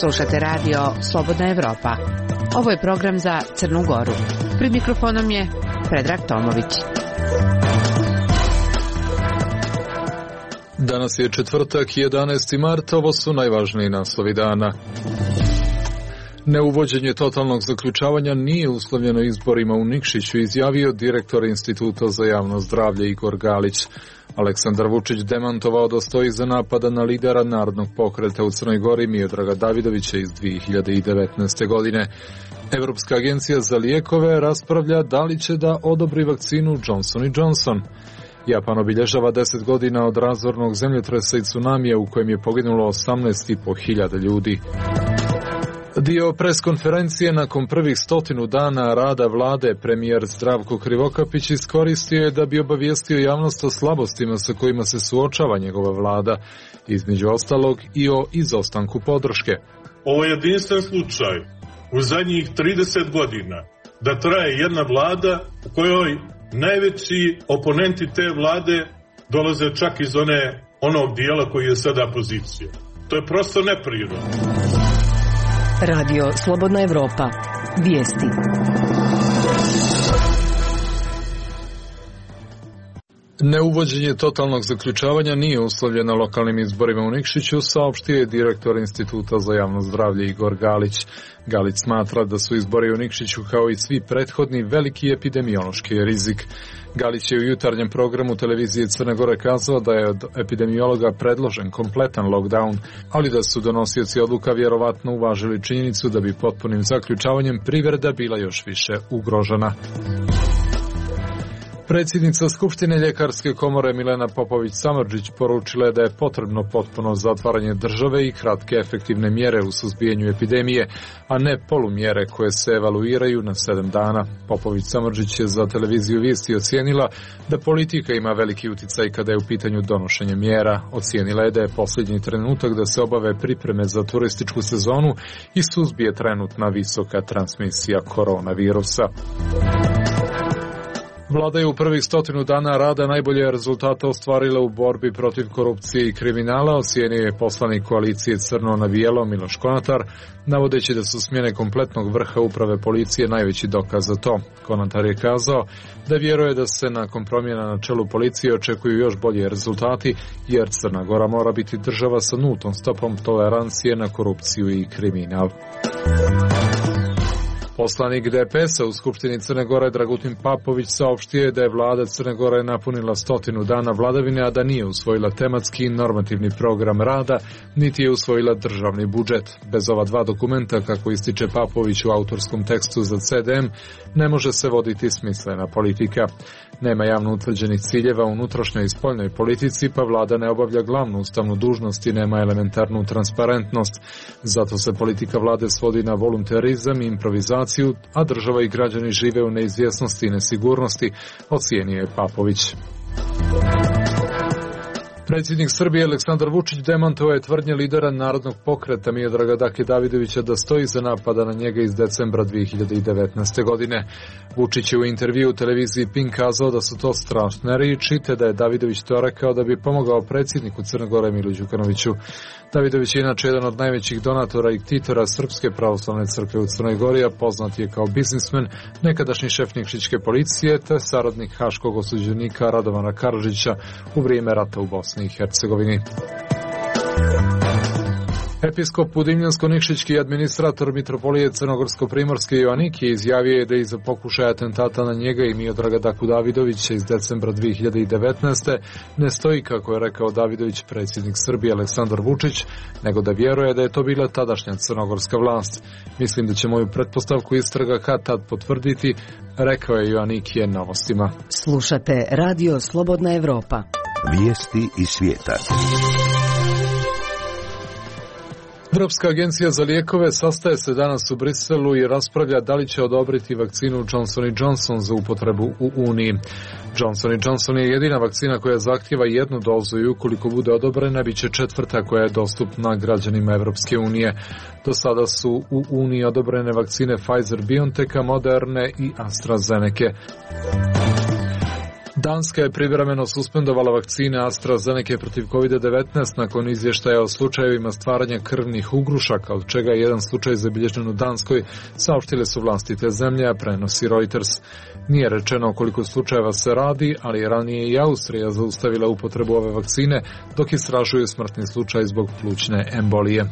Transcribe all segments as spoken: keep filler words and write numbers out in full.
Slušate radio Slobodna Evropa. Ovo je program za Crnu Goru. Pred mikrofonom je Predrag Tomović. Danas je četvrtak, jedanaesti mart, ovo su najvažniji naslovi dana. Neuvođenje totalnog zaključavanja nije uslovljeno izborima u Nikšiću, izjavio direktor Instituta za javno zdravlje Igor Galić. Aleksandar Vučić demantovao da stoji iza napada na lidera Narodnog pokreta u Crnoj Gori Miodraga Davidovića iz dve hiljade devetnaeste. godine. Evropska agencija za lijekove raspravlja da li će da odobri vakcinu Johnson and Johnson. Japan obilježava deset godina od razornog zemljotresa i tsunamija u kojem je poginulo osamnaest i po hiljada ljudi. Dio preskonferencije nakon prvih stotinu dana rada vlade premijer Zdravko Krivokapić iskoristio je da bi obavijestio javnost o slabostima sa kojima se suočava njegova vlada, između ostalog i o izostanku podrške. Ovo je jedinstven slučaj u zadnjih trideset godina da traje jedna vlada u kojoj najveći oponenti te vlade dolaze čak iz one, onog dijela koji je sada pozicija. To je prosto neprirodno. Radio Slobodna Evropa. Vijesti. Neuvođenje totalnog zaključavanja nije uslovljeno lokalnim izborima u Nikšiću, saopštio je direktor Instituta za javno zdravlje Igor Galić. Galić smatra da su izbori u Nikšiću kao i svi prethodni veliki epidemiološki rizik. Galić je u jutarnjem programu televizije Crne Gore kazao da je od epidemiologa predložen kompletan lockdown, ali da su donosioci odluka vjerovatno uvažili činjenicu da bi potpunim zaključavanjem privreda bila još više ugrožena. Predsjednica Skupštine Ljekarske komore Milena Popović-Samardžić poručila je da je potrebno potpuno zatvaranje države i kratke efektivne mjere u suzbijanju epidemije, a ne polumjere koje se evaluiraju na sedam dana. Popović-Samardžić je za televiziju Vijesti ocijenila da politika ima veliki uticaj kada je u pitanju donošenja mjera. Ocijenila je da je posljednji trenutak da se obave pripreme za turističku sezonu i suzbije trenutna visoka transmisija koronavirusa. Vlada je u prvih stotinu dana rada najbolje rezultate ostvarila u borbi protiv korupcije i kriminala, ocijenio je poslanik koalicije Crno na bijelo Miloš Konatar, navodeći da su smjene kompletnog vrha uprave policije najveći dokaz za to. Konatar je kazao da vjeruje da se nakon promjena na čelu policije očekuju još bolji rezultati, jer Crna Gora mora biti država sa nultom stopom tolerancije na korupciju i kriminal. Poslanik D P S-a u Skupštini Crne Gore Dragutin Papović saopštio je da je vlada Crne Gore napunila stotinu dana vladavine, a da nije usvojila tematski i normativni program rada, niti je usvojila državni budžet. Bez ova dva dokumenta, kako ističe Papović u autorskom tekstu za C D M, ne može se voditi smislena politika. Nema javno utvrđenih ciljeva u unutrašnjoj i spoljnoj politici, pa vlada ne obavlja glavnu ustavnu dužnost i nema elementarnu transparentnost. Zato se politika vlade svodi na voluntarizam i improvizaciju, a država i građani žive u neizvjesnosti i nesigurnosti, ocijenio je Papović. Predsjednik Srbije Aleksandar Vučić demantovao je tvrdnje lidera Narodnog pokreta Miodraga Dake Davidovića da stoji iza napada na njega iz decembra dve hiljade devetnaeste. godine. Vučić je u intervju u televiziji Pink kazao da su to strašne riječi, te da je Davidović to rekao da bi pomogao predsjedniku Crne Gore Milu Đukanoviću. Davidović je inače jedan od najvećih donatora i ktitora Srpske pravoslavne crkve u Crnoj Gori, a poznat je kao biznismen, nekadašnji šef Nikšićke policije te saradnik haškog osuđenika Radovana Karadžića u vrijeme rata u Bosni i Hercegovini. Episkop Budimljansko-Nikšićki administrator mitropolije Crnogorsko-Primorske Joanikije izjavio je da iza pokušaja atentata na njega i Miodraga Daku Davidovića iz decembra dve hiljade devetnaeste. ne stoji, kako je rekao Davidović, predsjednik Srbije Aleksandar Vučić, nego da vjeruje da je to bila tadašnja crnogorska vlast. Mislim da će moju pretpostavku istraga kad tad potvrditi, rekao je Joanikije Novostima. Slušate Radio Slobodna Evropa. Vijesti iz svijeta. Evropska agencija za lijekove sastaje se danas u Briselu i raspravlja da li će odobriti vakcinu Johnson and Johnson za upotrebu u Uniji. Johnson and Johnson je jedina vakcina koja zahtijeva jednu dozu i ukoliko bude odobrena, bit će četvrta koja je dostupna građanima Evropske unije. Do sada su u Uniji odobrene vakcine Pfizer-BioNTecha, Moderne i AstraZeneca. Danska je privremeno suspendovala vakcine AstraZeneca protiv kovid devetnaest nakon izvještaja o slučajevima stvaranja krvnih ugrušaka, od čega je jedan slučaj zabilježen u Danskoj, saopštile su vlasti te zemlje, a prenosi Reuters. Nije rečeno o koliko slučajeva se radi, ali je ranije i Austrija zaustavila upotrebu ove vakcine, dok istražuju smrtni slučaj zbog plućne embolije.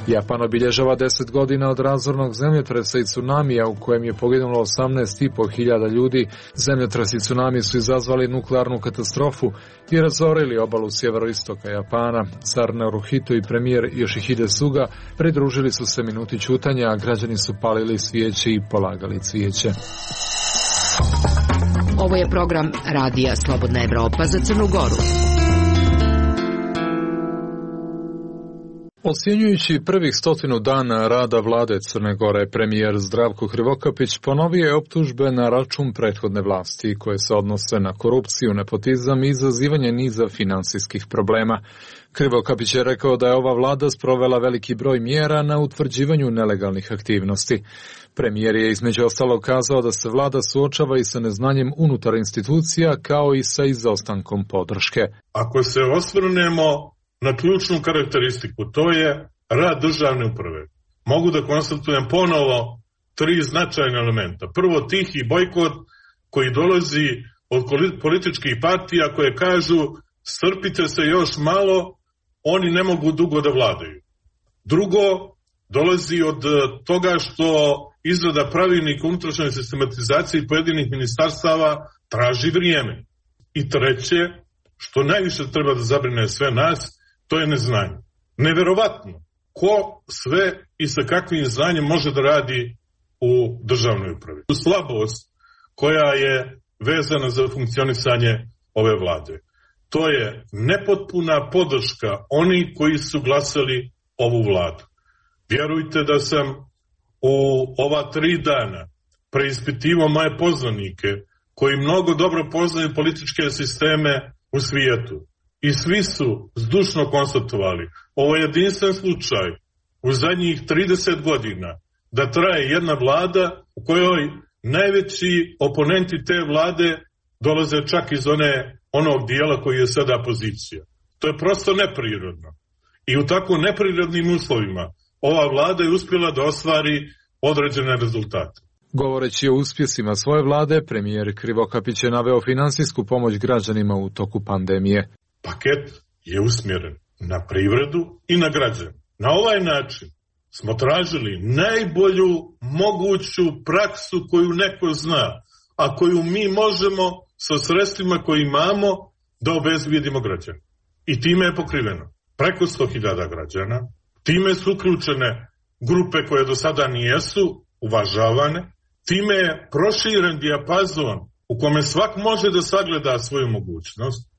Japan obilježava deset godina od razornog zemljotresa i tsunamija u kojem je poginulo osamnaest i po hiljada ljudi. Zemljotres i tsunami su izazvali nuklearnu katastrofu i razorili obalu sjeveroistoka Japana. Car Naruhito i premijer Yoshihide Suga pridružili su se minuti ćutanja, a građani su palili svijeće i polagali cvijeće. Ovo je program Radija Slobodna Evropa za Crnu Goru. Ocjenjujući prvih stotinu dana rada vlade Crne Gore, premijer Zdravko Krivokapić ponovio je optužbe na račun prethodne vlasti koje se odnose na korupciju, nepotizam i izazivanje niza finansijskih problema. Krivokapić je rekao da je ova vlada sprovela veliki broj mjera na utvrđivanju nelegalnih aktivnosti. Premijer je između ostalog kazao da se vlada suočava i sa neznanjem unutar institucija kao i sa izostankom podrške. Ako se osvrnemo na ključnu karakteristiku, to je rad državne uprave. Mogu da konstatujem ponovo tri značajne elementa. Prvo, tihi bojkot koji dolazi od političkih partija koje kažu strpite se još malo, oni ne mogu dugo da vladaju. Drugo, dolazi od toga što izrada pravilnika unutrašnjoj sistematizaciji pojedinih ministarstava traži vrijeme. I treće, što najviše treba da zabrine sve nas, to je neznanje. Neverovatno ko sve i sa kakvim znanjem može da radi u državnoj upravi. Slabost koja je vezana za funkcionisanje ove vlade. To je nepotpuna podrška onih koji su glasali ovu vladu. Vjerujte da sam u ova tri dana preispitivao moje poznanike koji mnogo dobro poznaju političke sisteme u svijetu. I svi su zdušno konstatovali, ovo je jedinstven slučaj u zadnjih trideset godina da traje jedna vlada u kojoj najveći oponenti te vlade dolaze čak iz one, onog dijela koji je sada pozicija. To je prosto neprirodno. I u tako neprirodnim uslovima ova vlada je uspjela da ostvari određene rezultate. Govoreći o uspjesima svoje vlade, premijer Krivokapić je naveo finansijsku pomoć građanima u toku pandemije. Paket je usmjeren na privredu i na građane. Na ovaj način smo tražili najbolju moguću praksu koju neko zna, a koju mi možemo sa sredstvima koje imamo da obezbijedimo građane. I time je pokriveno preko sto hiljada građana, time su uključene grupe koje do sada nijesu uvažavane, time je proširen dijapazon u kome svak može da sagleda svoju mogućnost.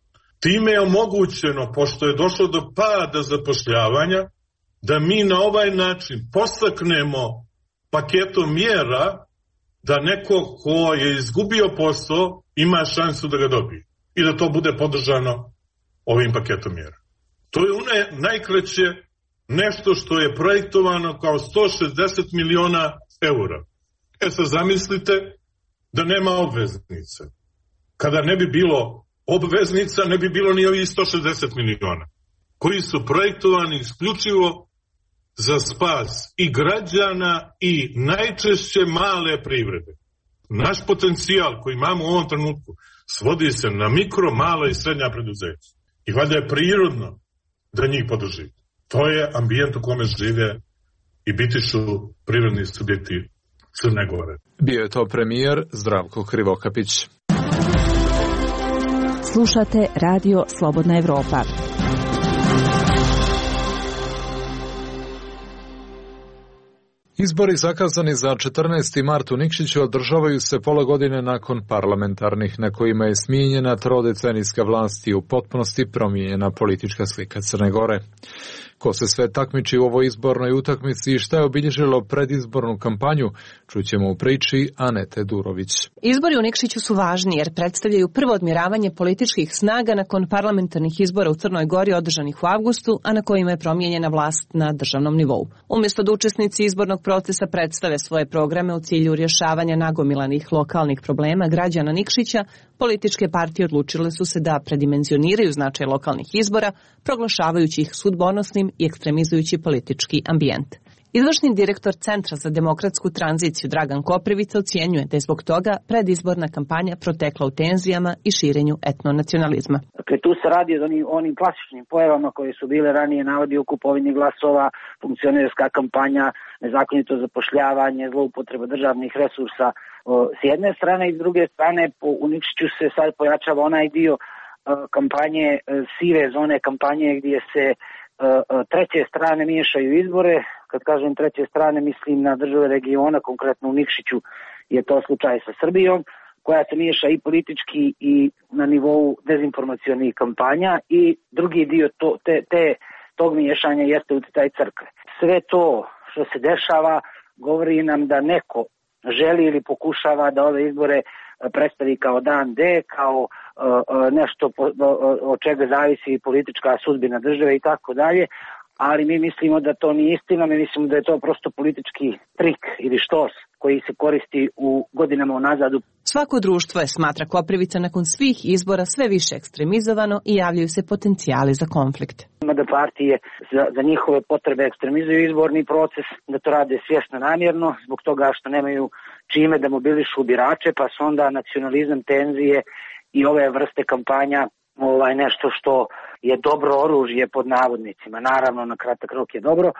Time je omogućeno, pošto je došlo do pada zapošljavanja, da mi na ovaj način postaknemo paketom mjera da neko ko je izgubio posao ima šansu da ga dobije i da to bude podržano ovim paketom mjera. To je une najkraće nešto što je projektovano kao sto šezdeset miliona eura. E sad zamislite da nema obveznice. Kada ne bi bilo obveznica, ne bi bilo ni ovih sto šezdeset miliona, koji su projektovani isključivo za spas i građana i najčešće male privrede. Naš potencijal koji imamo u ovom trenutku svodi se na mikro, mala i srednja preduzeća. I valjda je prirodno da njih podržite. To je ambijent u kome žive i bitišu privredni subjekti Crne Gore. Bio je to premijer Zdravko Krivokapić. Slušate Radio Slobodna Evropa. Izbori zakazani za četrnaesti mart u Nikšiću održavaju se pola godine nakon parlamentarnih, na kojima je smijenjena trodecenijska vlast i u potpunosti promijenjena politička slika Crne Gore. Ko se sve takmiči u ovoj izbornoj utakmici i šta je obilježilo predizbornu kampanju, čućemo u priči Anete Durović. Izbori u Nikšiću su važni jer predstavljaju prvo odmjeravanje političkih snaga nakon parlamentarnih izbora u Crnoj Gori održanih u avgustu, a na kojima je promijenjena vlast na državnom nivou. Umjesto da učesnici izbornog procesa predstave svoje programe u cilju rješavanja nagomilanih lokalnih problema građana Nikšića, političke partije odlučile su se da predimenzioniraju značaj lokalnih izbora, proglašavajući ih sudbonosnim i ekstremizujući politički ambijent. Izvršni direktor Centra za demokratsku tranziciju Dragan Koprivica ocjenjuje da je zbog toga predizborna kampanja protekla u tenzijama i širenju etnonacionalizma. Dakle, tu se radi o onim, onim klasičnim pojavama koje su bile ranije navodi u kupovini glasova, funkcionerska kampanja, nezakonito zapošljavanje, zloupotreba državnih resursa s jedne strane i s druge strane u Nikšiću se sad pojačava onaj dio kampanje, sive zone kampanje gdje se treće strane miješaju izbore. Kad kažem treće strane, mislim na države regiona, konkretno u Nikšiću je to slučaj sa Srbijom, koja se miješa i politički i na nivou dezinformacionih kampanja, i drugi dio to, te, te, tog miješanja jeste utjecaj crkve. Sve to što se dešava govori nam da neko želi ili pokušava da ove izbore predstavi kao dan D, kao nešto od čega zavisi politička sudbina države i tako dalje, ali mi mislimo da to nije istina, mi mislimo da je to prosto politički trik ili štos koji se koristi u godinama unazad. Svako društvo je, smatra Koprivica, nakon svih izbora sve više ekstremizovano i javljaju se potencijali za konflikt. Ima da partije za, za njihove potrebe ekstremizuju izborni proces, da to rade svjesno namjerno, zbog toga što nemaju čime da mobilišu birače, pa su onda nacionalizam, tenzije i ove vrste kampanja ovaj, nešto što je dobro oružje pod navodnicima. Naravno, na kratak rok je dobro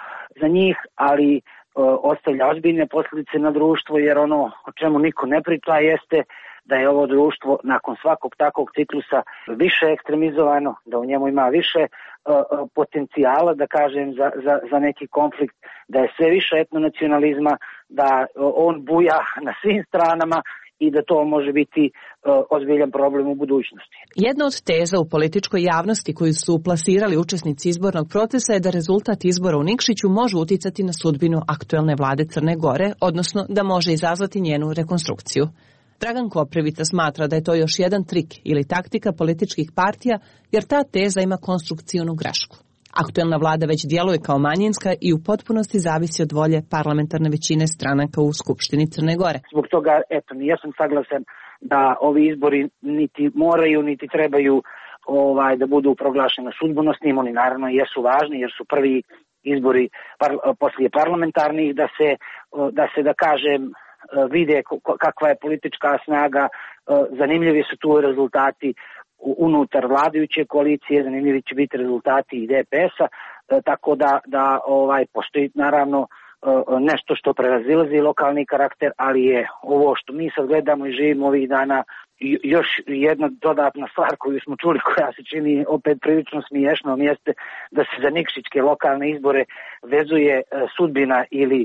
za njih, ali o, ostavlja ozbiljne posljedice na društvo, jer ono o čemu niko ne priča jeste da je ovo društvo nakon svakog takvog ciklusa više ekstremizovano, da u njemu ima više o, o, potencijala, da kažem, za, za, za neki konflikt, da je sve više etnonacionalizma, da o, on buja na svim stranama i da to može biti uh, ozbiljan problem u budućnosti. Jedna od teza u političkoj javnosti koju su plasirali učesnici izbornog procesa je da rezultat izbora u Nikšiću može uticati na sudbinu aktuelne vlade Crne Gore, odnosno da može izazvati njenu rekonstrukciju. Dragan Koprivica smatra da je to još jedan trik ili taktika političkih partija, jer ta teza ima konstrukcijnu grešku. Aktuelna vlada već djeluje kao manjinska i u potpunosti zavisi od volje parlamentarne većine stranaka u Skupštini Crne Gore. Zbog toga, eto, ja sam saglasan da ovi izbori niti moraju, niti trebaju ovaj, da budu proglašeni sudbonosnim. Oni naravno jesu važni jer su prvi izbori par, poslije parlamentarnih, da se, da se, da kažem, vide kakva je politička snaga, zanimljivi su tu rezultati unutar vladajuće koalicije, zanimljivi će biti rezultati i D P S-a, tako da, da ovaj, postoji naravno nešto što prevazilazi lokalni karakter, ali je ovo što mi sad gledamo i živimo ovih dana još jedna dodatna stvar koju smo čuli, koja se čini opet prilično smiješnom, jeste da se za nikšićke lokalne izbore vezuje sudbina ili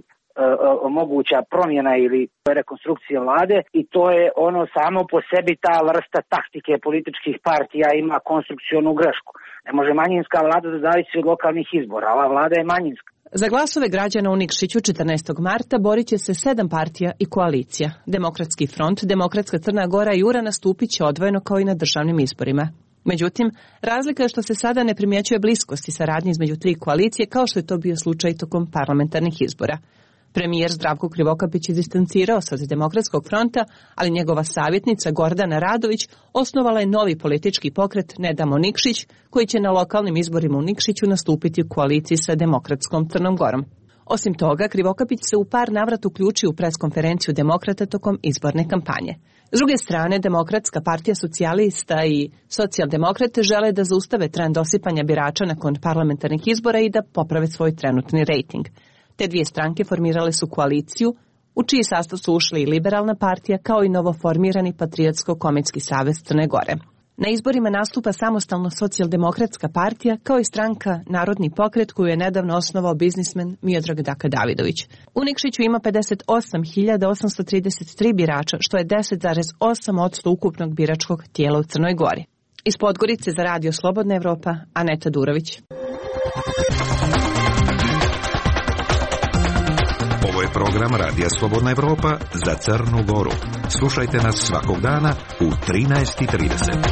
moguća promjena ili rekonstrukcija vlade, i to je ono samo po sebi, ta vrsta taktike političkih partija ima konstrukcionu grešku. Ne može manjinska vlada da zavisi od lokalnih izbora, ova vlada je manjinska. Za glasove građana u Nikšiću četrnaestog marta borit će se sedam partija i koalicija. Demokratski front, Demokratska Crna Gora i U R A nastupit će odvojeno kao i na državnim izborima. Međutim, razlika je što se sada ne primjećuje bliskost i saradnje između tri koalicije, kao što je to bio slučaj tokom parlamentarnih izbora. Premijer Zdravko Krivokapić je distancirao se od Demokratskog fronta, ali njegova savjetnica Gordana Radović osnovala je novi politički pokret Ne damo Nikšić, koji će na lokalnim izborima u Nikšiću nastupiti u koaliciji sa Demokratskom Crnom Gorom. Osim toga, Krivokapić se u par navrata uključio u preskonferenciju demokrata tokom izborne kampanje. S druge strane, Demokratska partija socijalista i socijaldemokrate žele da zaustave trend osipanja birača nakon parlamentarnih izbora i da poprave svoj trenutni rejting. Te dvije stranke formirale su koaliciju, u čiji sastav su ušli i Liberalna partija, kao i novoformirani Patriotsko-komitski savez Crne Gore. Na izborima nastupa samostalno socijaldemokratska partija, kao i stranka Narodni pokret, koju je nedavno osnovao biznismen Miodrag Daka Davidović. U Nikšiću ima pedeset osam hiljada osamsto trideset tri birača, što je deset zarez osam posto ukupnog biračkog tijela u Crnoj Gori. Iz Podgorice za Radio Slobodna Evropa, Aneta Durović. Program Radija Slobodna Evropa za Crnu Goru. Slušajte nas svakog dana u trinaest i trideset.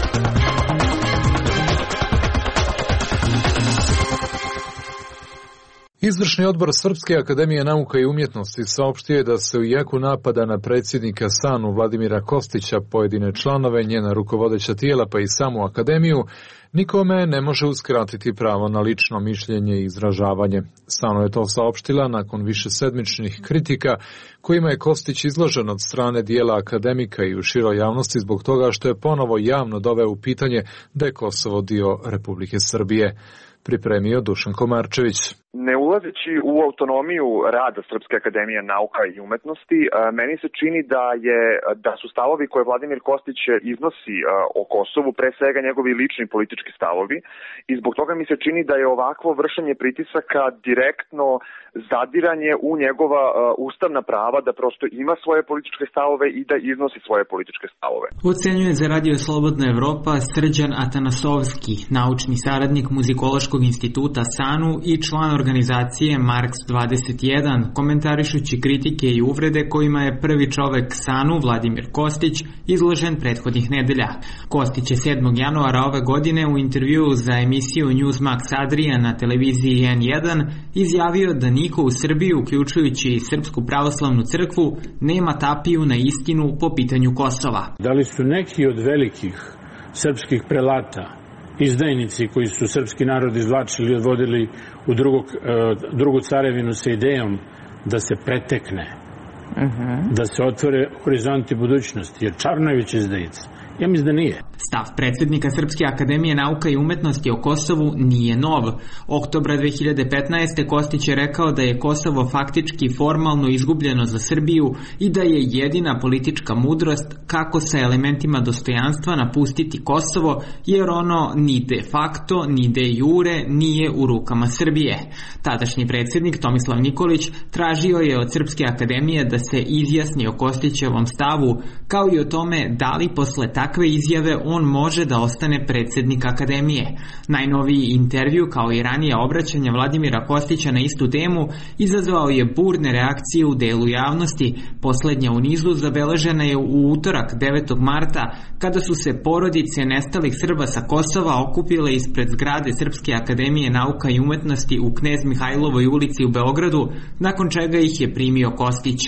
Izvršni odbor Srpske akademije nauka i umjetnosti saopštio je da se u jeku napada na predsjednika SANU Vladimira Kostića, pojedine članove, njena rukovodeća tijela pa i samu akademiju, nikome ne može uskratiti pravo na lično mišljenje i izražavanje. SANU je to saopštila nakon višesedmičnih kritika kojima je Kostić izložen od strane dijela akademika i u široj javnosti zbog toga što je ponovo javno doveo u pitanje da je Kosovo dio Republike Srbije. Pripremio Dušan Komarčević. Ne ulazeći u autonomiju rada Srpske akademije nauka i umetnosti, meni se čini da je da su stavovi koje Vladimir Kostić iznosi o Kosovu pre svega njegovi lični politički stavovi i zbog toga mi se čini da je ovakvo vršenje pritisaka direktno zadiranje u njegova ustavna prava da prosto ima svoje političke stavove i da iznosi svoje političke stavove. Ocenjuje za Radio Slobodna Evropa Srđan Atanasovski, naučni saradnik Muzikološkog instituta SANU i član organizacije Marks dvadeset jedan, komentarišući kritike i uvrede kojima je prvi čovek SANU, Vladimir Kostić, izložen prethodnih nedelja. Kostić je sedmog januara ove godine u intervjuu za emisiju Newsmax Adria na televiziji N jedan izjavio da niko u Srbiji, uključujući i Srpsku pravoslavnu crkvu, nema tapiju na istinu po pitanju Kosova. Da li su neki od velikih srpskih prelata izdajnici koji su srpski narod izvlačili i odvodili u drugog, drugu carevinu sa idejom da se pretekne, uh-huh. da se otvore horizonti budućnosti, jer Čarnojević izdajica. Ja mislim da nije. Stav predsjednika Srpske akademije nauka i umetnosti o Kosovu nije nov. Oktobra dve hiljade petnaeste. Kostić je rekao da je Kosovo faktički formalno izgubljeno za Srbiju i da je jedina politička mudrost kako sa elementima dostojanstva napustiti Kosovo, jer ono ni de facto, ni de jure nije u rukama Srbije. Tadašnji predsjednik Tomislav Nikolić tražio je od Srpske akademije da se izjasni o Kostićevom stavu, kao i o tome da li posle takve izjave on može da ostane predsjednik akademije. Najnoviji intervju, kao i ranije obraćanje Vladimira Kostića na istu temu, izazvao je burne reakcije u delu javnosti. Poslednja u nizu zabeležena je u utorak devetog marta, kada su se porodice nestalih Srba sa Kosova okupile ispred zgrade Srpske akademije nauka i umetnosti u Knez Mihajlovoj ulici u Beogradu, nakon čega ih je primio Kostić.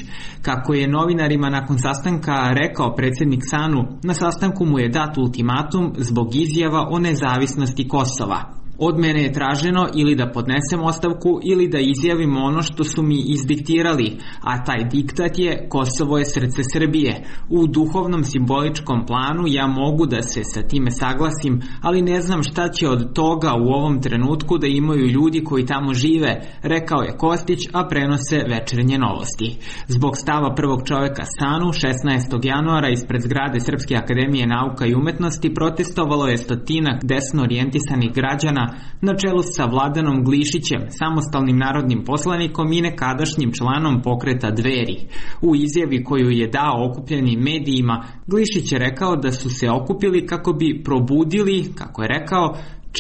Kako je novinarima nakon sastanka rekao predsjednik SANU, na sastanku mu je dat ultimatum zbog izjava o nezavisnosti Kosova. Od mene je traženo ili da podnesem ostavku ili da izjavim ono što su mi izdiktirali, a taj diktat je Kosovo je srce Srbije. U duhovnom simboličkom planu ja mogu da se sa time saglasim, ali ne znam šta će od toga u ovom trenutku da imaju ljudi koji tamo žive, rekao je Kostić, a prenose Večernje novosti. Zbog stava prvog čoveka SANU šesnaestog januara ispred zgrade Srpske akademije nauka i umetnosti protestovalo je stotinak desno orijentisanih građana na čelu sa Vladanom Glišićem, samostalnim narodnim poslanikom i nekadašnjim članom pokreta Dveri. U izjavi koju je dao okupljenim medijima, Glišić je rekao da su se okupili kako bi probudili, kako je rekao,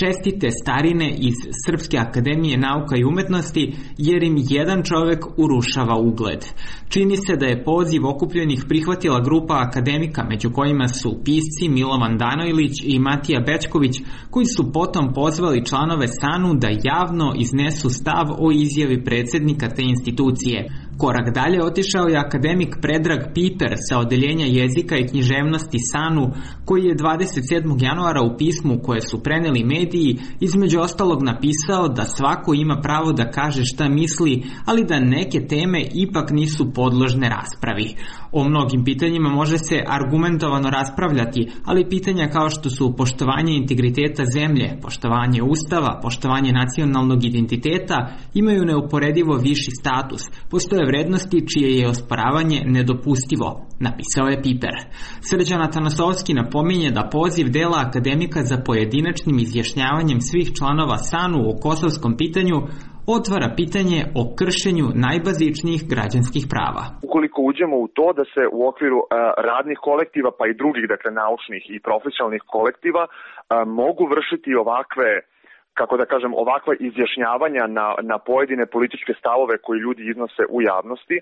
čestite starine iz Srpske akademije nauka i umetnosti, jer im jedan čovek urušava ugled. Čini se da je poziv okupljenih prihvatila grupa akademika, među kojima su pisci Milovan Danojlić i Matija Bečković, koji su potom pozvali članove SANU da javno iznesu stav o izjavi predsjednika te institucije. Korak dalje otišao je akademik Predrag Piper sa odeljenja jezika i književnosti SANU, koji je dvadeset sedmog januara u pismu koje su preneli mediji između ostalog napisao da svako ima pravo da kaže šta misli, ali da neke teme ipak nisu podložne raspravi. O mnogim pitanjima može se argumentovano raspravljati, ali pitanja kao što su poštovanje integriteta zemlje, poštovanje ustava, poštovanje nacionalnog identiteta imaju neuporedivo viši status. Postoje vrednosti čije je osporavanje nedopustivo, napisao je Piper. Srđan Atanasovski napominje da poziv dela akademika za pojedinačnim izjašnjavanjem svih članova SANU o kosovskom pitanju otvara pitanje o kršenju najbazičnijih građanskih prava. Ukoliko uđemo u to da se u okviru uh, radnih kolektiva pa i drugih, dakle naučnih i profesionalnih kolektiva uh, mogu vršiti ovakve kako da kažem, ovakva izjašnjavanja na, na pojedine političke stavove koji ljudi iznose u javnosti,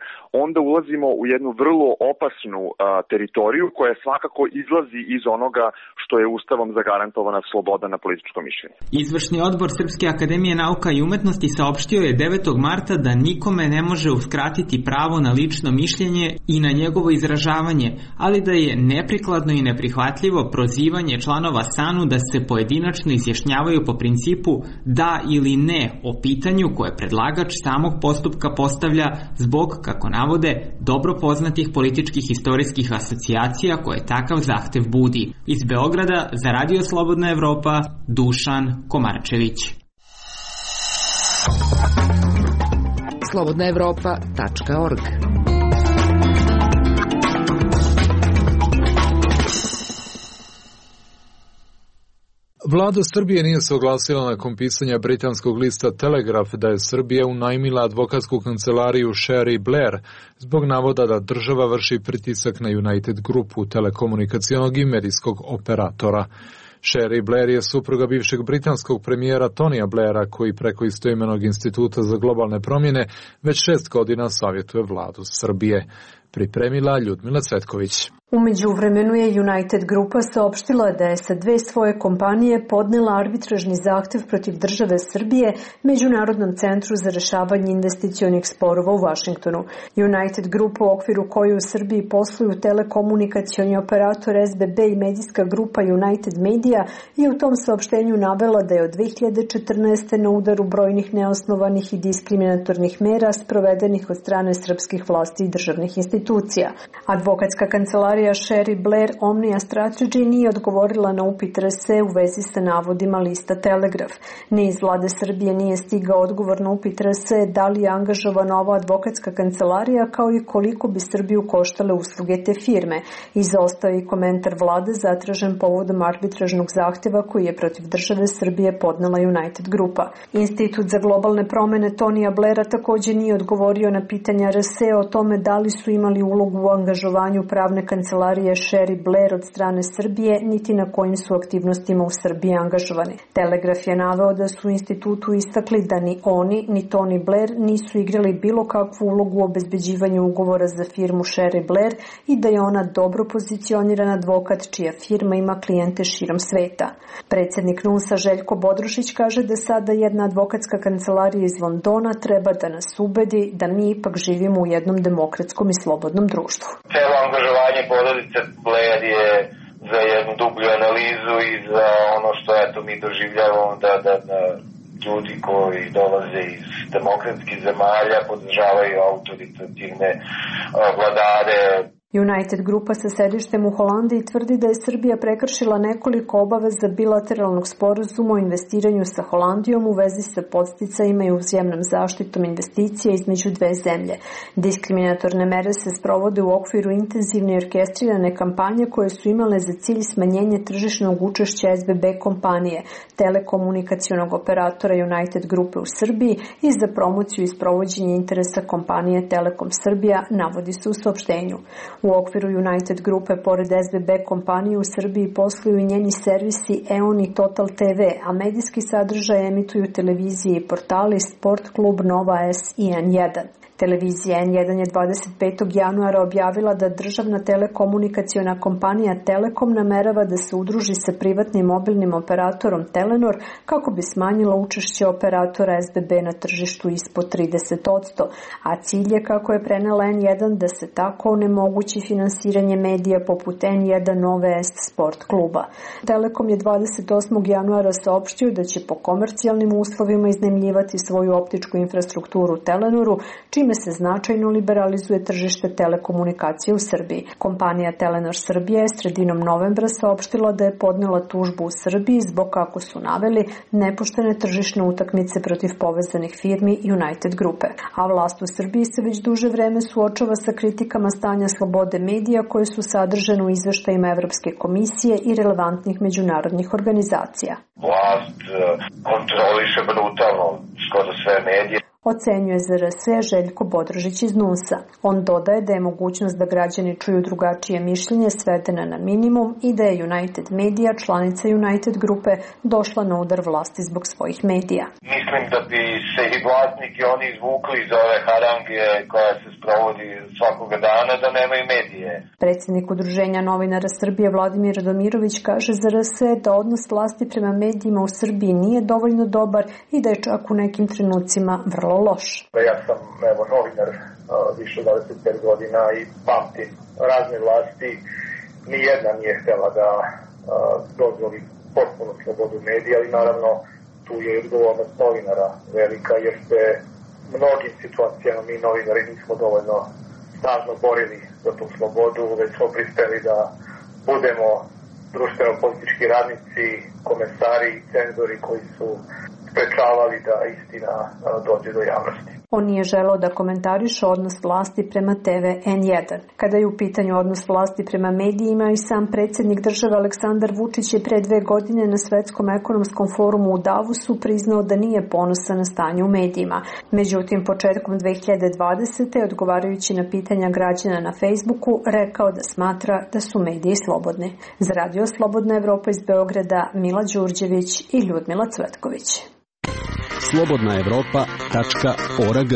onda ulazimo u jednu vrlo opasnu a, teritoriju koja svakako izlazi iz onoga što je Ustavom zagarantovana sloboda na političko mišljenje. Izvršni odbor Srpske akademije nauka i umetnosti saopštio je devetog marta da nikome ne može uskratiti pravo na lično mišljenje i na njegovo izražavanje, ali da je neprikladno i neprihvatljivo prozivanje članova SANU da se pojedinačno izjašnjavaju po principu da ili ne o pitanju koje predlagač samog postupka postavlja zbog, kako navode, dobro poznatih političkih istorijskih asocijacija koje takav zahtev budi. Iz Beograda za Radio Slobodna Evropa, Dušan Komarčević. slobodna evropa tačka org. Vlada Srbije nije se oglasila nakon pisanja britanskog lista Telegraph da je Srbija unajmila advokatsku kancelariju Sherry Blair zbog navoda da država vrši pritisak na United Grupu, telekomunikacionog i medijskog operatora. Sherry Blair je supruga bivšeg britanskog premijera Tonija Blaira, koji preko istoimenog instituta za globalne promjene već šest godina savjetuje vladu Srbije. Pripremila Ljudmila Cvetković. U međuvremenu je United Grupa saopštila da je sa dve svoje kompanije podnela arbitražni zahtev protiv države Srbije Međunarodnom centru za rešavanje investicionih sporova u Vašingtonu. United Grupa, u okviru koje u Srbiji posluju telekomunikacioni operator S B B i medijska grupa United Media, je u tom saopštenju navela da je od dve hiljade četrnaeste. na udaru brojnih neosnovanih i diskriminatornih mera sprovedenih od strane srpskih vlasti i državnih institucija. Advokatska kancelarija Sherry Blair Omnia Strategy nije odgovorila na upit R S u vezi sa navodima lista Telegraph. Ni iz vlade Srbije nije stigao odgovor na upit R S da li je angažovana ova advokatska kancelarija, kao i koliko bi Srbiju koštale usluge te firme. Izostao je i komentar vlade zatražen povodom arbitražnog zahteva koji je protiv države Srbije podnela United Grupa. Institut za globalne promjene Tonija Blaira također nije odgovorio na pitanja R S o tome da li su imali ulogu u angažovanju pravne kancelarije Sherry Blair od strane Srbije, niti na kojim su aktivnostima u Srbiji angažovani. Telegraf je naveo da su u institutu istakli da ni oni, ni Tony Blair nisu igrali bilo kakvu ulogu u obezbeđivanju ugovora za firmu Sherry Blair i da je ona dobro pozicioniran advokat čija firma ima klijente širom sveta. Predsjednik N U S-a Željko Bodrušić kaže da sada jedna advokatska kancelarija iz Londona treba da nas ubedi da mi ipak živimo u jednom demokratskom i slobodnom društvu. Celo angažovanje porodice Blair je za jednu dublju analizu i za ono što eto mi doživljavamo da, da, da ljudi koji dolaze iz demokratskih zemalja podržavaju autoritativne vladare. United Grupa sa sedištem u Holandiji tvrdi da je Srbija prekršila nekoliko obaveza bilateralnog sporazuma o investiranju sa Holandijom u vezi sa podsticajima i uzajamnom zaštitom investicija između dve zemlje. Diskriminatorne mere se sprovode u okviru intenzivne i orkestrirane kampanje koje su imale za cilj smanjenje tržišnog učešća S B B kompanije, telekomunikacionog operatora United Grupe u Srbiji i za promociju i sprovođenje interesa kompanije Telekom Srbija, navodi se u saopštenju. U okviru United Grupe, pored S B B kompanije u Srbiji posluju i njeni servisi E O N i Total T V, a medijski sadržaj emituju televizije i portali Sport klub, Nova S i N jedan. Televizija N jedan je dvadeset petog januara objavila da državna telekomunikaciona kompanija Telekom namerava da se udruži sa privatnim mobilnim operatorom Telenor kako bi smanjila učešće operatora S B B na tržištu ispod trideset posto, a cilj je, kako je prenela N jedan, da se tako onemogući finansiranje medija poput N jedan, Nove S, Sport kluba. Telekom je dvadeset osmog januara saopštio da će po komercijalnim uslovima iznajmljivati svoju optičku infrastrukturu Telenoru, čime se značajno liberalizuje tržište telekomunikacije u Srbiji. Kompanija Telenor Srbija je sredinom novembra saopštila da je podnela tužbu u Srbiji zbog, kako su naveli, nepoštene tržišne utakmice protiv povezanih firmi United Grupe. A vlast u Srbiji se već duže vreme suočava sa kritikama stanja slobode medija koje su sadržane u izveštajima Evropske komisije i relevantnih međunarodnih organizacija. Vlast kontroliše brutalno skoro sve medije. ocenjuje Z R S Željko Bodrožić iz N U S-a. On dodaje da je mogućnost da građani čuju drugačije mišljenje svedena na minimum i da je United Media, članica United grupe, došla na udar vlasti zbog svojih medija. Mislim da bi se i vlasniki oni izvukli iz ove harange koja se sprovodi svakoga dana da nemaju medije. Predsjednik Udruženja novinara Srbije Vladimir Radomirović kaže za R S da odnos vlasti prema medijima u Srbiji nije dovoljno dobar i da je čak u nekim trenucima vrlo loš. Ja sam evo, novinar više od dvadeset pet godina i pamtim razne vlasti. Nijedna nije htjela da dozvoli potpuno slobodu medija, ali naravno tu je odgovornost novinara velika, jer se mnogim situacijama mi novinari nismo dovoljno snažno borili za tu slobodu, već smo pristali da budemo društveno-politički radnici, komesari i cenzori koji su sprečavali da istina dođe do javnosti. On nije želeo da komentariše odnos vlasti prema T V N jedan. Kada je u pitanju odnos vlasti prema medijima, i sam predsjednik države Aleksandar Vučić je pre dve godine na Svetskom ekonomskom forumu u Davosu priznao da nije ponosan na stanje u medijima. Međutim, početkom dve hiljade dvadesete. odgovarajući na pitanja građana na Facebooku, rekao da smatra da su mediji slobodni. Za Radio Slobodna Evropa iz Beograda, Mila Đurđević i Ljudmila Cvetković. slobodna evropa tačka org.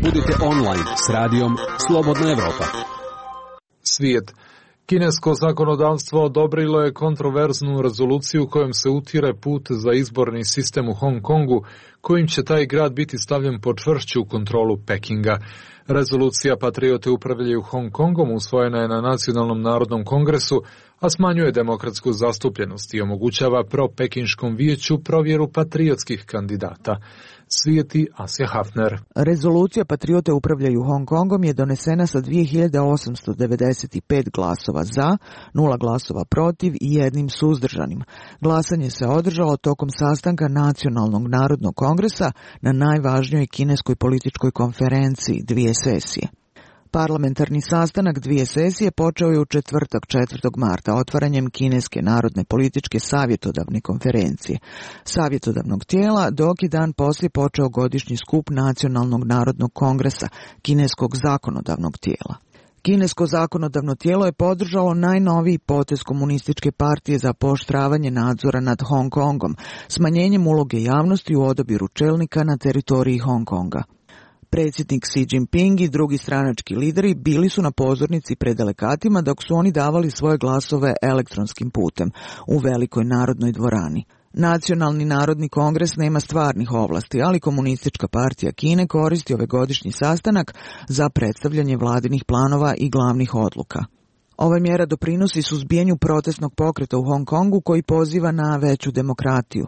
Budite online s radijom Slobodna Evropa. Svijet. Kinesko zakonodavstvo odobrilo je kontroverznu rezoluciju kojom se utire put za izborni sistem u Hong Kongu, kojim će taj grad biti stavljen pod čvršću kontrolu Pekinga. Rezolucija Patriote upravljaju Hong Kongom usvojena je na Nacionalnom narodnom kongresu, a smanjuje demokratsku zastupljenost i omogućava pro-pekinškom vijeću provjeru patriotskih kandidata. Svijeti Asja Hafner. Rezolucija Patriote upravljaju Hong Kongom je donesena sa dvije hiljade osamsto devedeset pet glasova za, nula glasova protiv i jednim suzdržanim. Glasanje se održalo tokom sastanka Nacionalnog narodnog kongresa na najvažnijoj kineskoj političkoj konferenciji, dvije sesije. Parlamentarni sastanak dvije sesije počeo je u četvrtak četvrtog marta otvaranjem Kineske narodne političke savjetodavne konferencije, savjetodavnog tijela, dok je dan poslije počeo godišnji skup Nacionalnog narodnog kongresa, Kineskog zakonodavnog tijela. Kinesko zakonodavno tijelo je podržalo najnoviji potez komunističke partije za pooštravanje nadzora nad Hong Kongom, smanjenjem uloge javnosti u odabiru čelnika na teritoriji Hong Konga. Predsjednik Xi Jinping i drugi stranački lideri bili su na pozornici pred delegatima dok su oni davali svoje glasove elektronskim putem u velikoj narodnoj dvorani. Nacionalni narodni kongres nema stvarnih ovlasti, ali komunistička partija Kine koristi ovaj godišnji sastanak za predstavljanje vladinih planova i glavnih odluka. Ova mjera doprinosi suzbijanju protestnog pokreta u Hong Kongu koji poziva na veću demokratiju.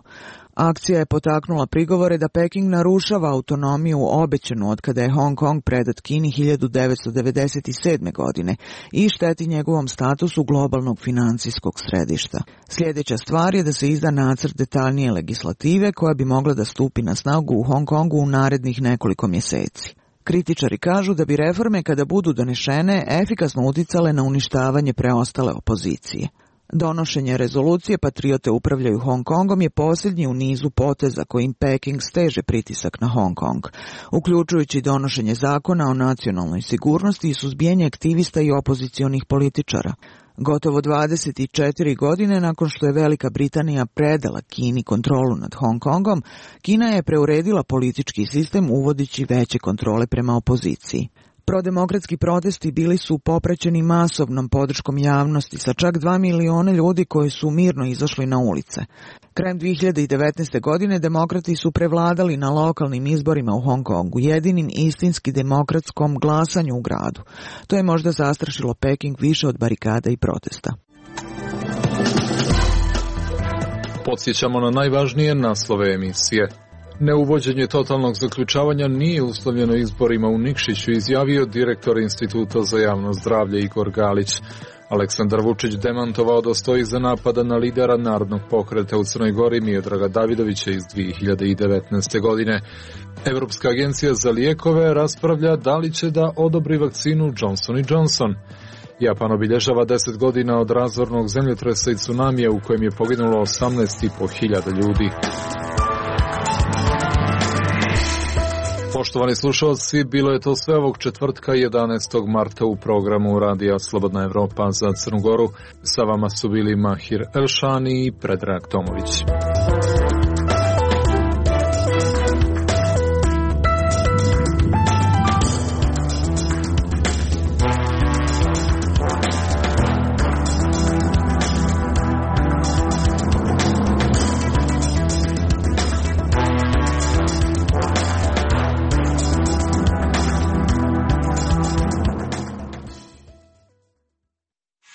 Akcija je potaknula prigovore da Peking narušava autonomiju obećanu od kada je Hong Kong predat Kini hiljadu devetsto devedeset sedme. godine i šteti njegovom statusu globalnog financijskog središta. Sljedeća stvar je da se izda nacrt detaljnije legislative koja bi mogla da stupi na snagu u Hong Kongu u narednih nekoliko mjeseci. Kritičari kažu da bi reforme kada budu donešene efikasno uticale na uništavanje preostale opozicije. Donošenje rezolucije Patriote upravljaju Hong Kongom je posljednji u nizu poteza kojim Peking steže pritisak na Hong Kong, uključujući donošenje zakona o nacionalnoj sigurnosti i suzbijanje aktivista i opozicionih političara. Gotovo dvadeset četiri godine nakon što je Velika Britanija predala Kini kontrolu nad Hong Kongom, Kina je preuredila politički sistem uvodići veće kontrole prema opoziciji. Prodemokratski protesti bili su popraćeni masovnom podrškom javnosti sa čak dva miliona ljudi koji su mirno izašli na ulice. Krajem dvije hiljade devetnaeste. godine demokrati su prevladali na lokalnim izborima u Hong Kongu, jedinim istinski demokratskom glasanju u gradu. To je možda zastrašilo Peking više od barikada i protesta. Podsjećamo na najvažnije naslove emisije. Neuvođenje totalnog zaključavanja nije uslovljeno izborima u Nikšiću, izjavio direktor Instituta za javno zdravlje Igor Galić. Aleksandar Vučić demantovao da stoji za napada na lidera narodnog pokreta u Crnoj Gori Miodraga Davidovića iz dvije hiljade devetnaeste. godine. Evropska agencija za lijekove raspravlja da li će da odobri vakcinu Johnson and Johnson. Japan obilježava deset godina od razornog zemljotresa i tsunamija u kojem je poginulo osamnaest i po hiljada ljudi. Poštovani slušalci, bilo je to sve ovog četvrtka jedanaestog marta u programu Radija Slobodna Evropa za Crnu Goru. Sa vama su bili Mahir Elšani i Predrag Tomović.